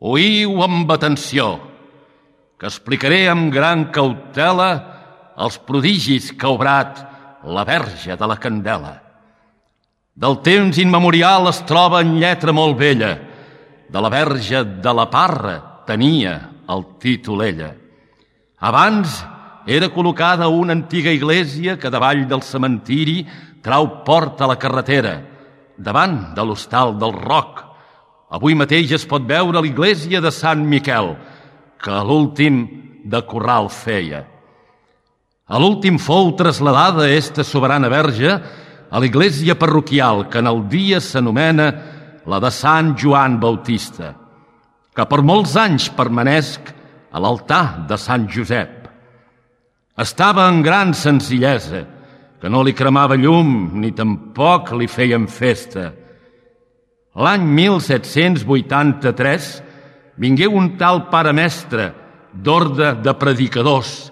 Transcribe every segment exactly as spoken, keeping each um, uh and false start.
Oïu amb atenció, que explicaré amb gran cautela els prodigis que ha obrat la Verge de la Candela. Del temps immemorial es troba en lletra molt vella. De la Verge de la Parra tenia el títol ella. Abans era col·locada una antiga església que davall del cementiri trau porta a la carretera, davant de l'hostal del Roc. Avui mateix es pot veure l'església de Sant Miquel, que a l'últim de corral feia. A l'últim fou trasladada esta soberana verge a l'església parroquial, que en el dia s'anomena la de Sant Joan Bautista, que per molts anys permanesc a l'altar de Sant Josep. Estava en gran senzillesa, que no li cremava llum ni tampoc li feien festa. L'any mil set-cents vuitanta-tres vingué un tal pare mestre d'orde de predicadors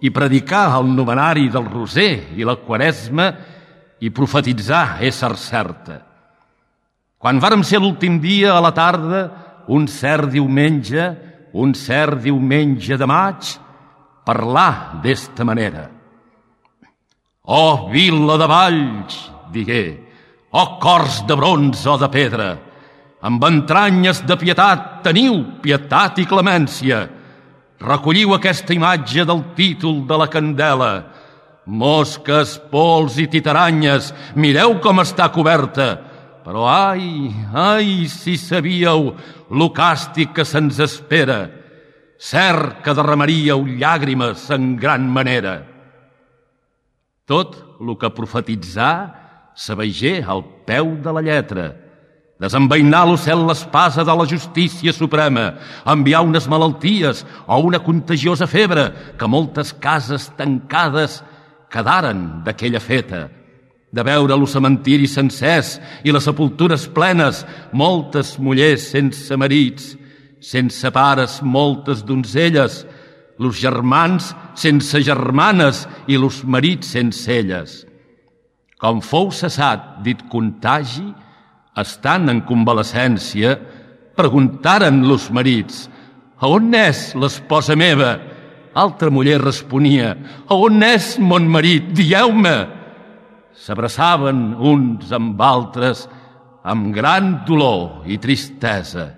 i predicà el novenari del Roser i la Quaresma i profetitzar ésser certa. Quan vàrem ser l'últim dia a la tarda, un cert diumenge, un cert diumenge de maig, parlà d'esta manera. «Oh, vila de Valls», digué, «oh, cors de bronze o de pedra, amb entranyes de pietat teniu pietat i clemència. Recolliu aquesta imatge del títol de la Candela. Mosques, pols i titaranyes, mireu com està coberta. Però ai, ai, si sabíeu lo càstig que se'ns espera. Cert que derramaríeu llàgrimes en gran manera». Tot lo que profetitzà s'aveigé al peu de la lletra. Desenvainar l'ocel l'espasa de la justícia suprema, enviar unes malalties o una contagiosa febre que moltes cases tancades quedaren d'aquella feta. De veure los cementiris sencers i les sepultures plenes, moltes mullers sense marits, sense pares moltes donzelles, los germans sense germanes i los marits sense elles. Com fou cessat dit contagi, estant en convalescència, preguntaren los marits: «A on és l'esposa meva?» Altra muller responia: «A on és mon marit? Dieu-me!» S'abraçaven uns amb altres amb gran dolor i tristesa.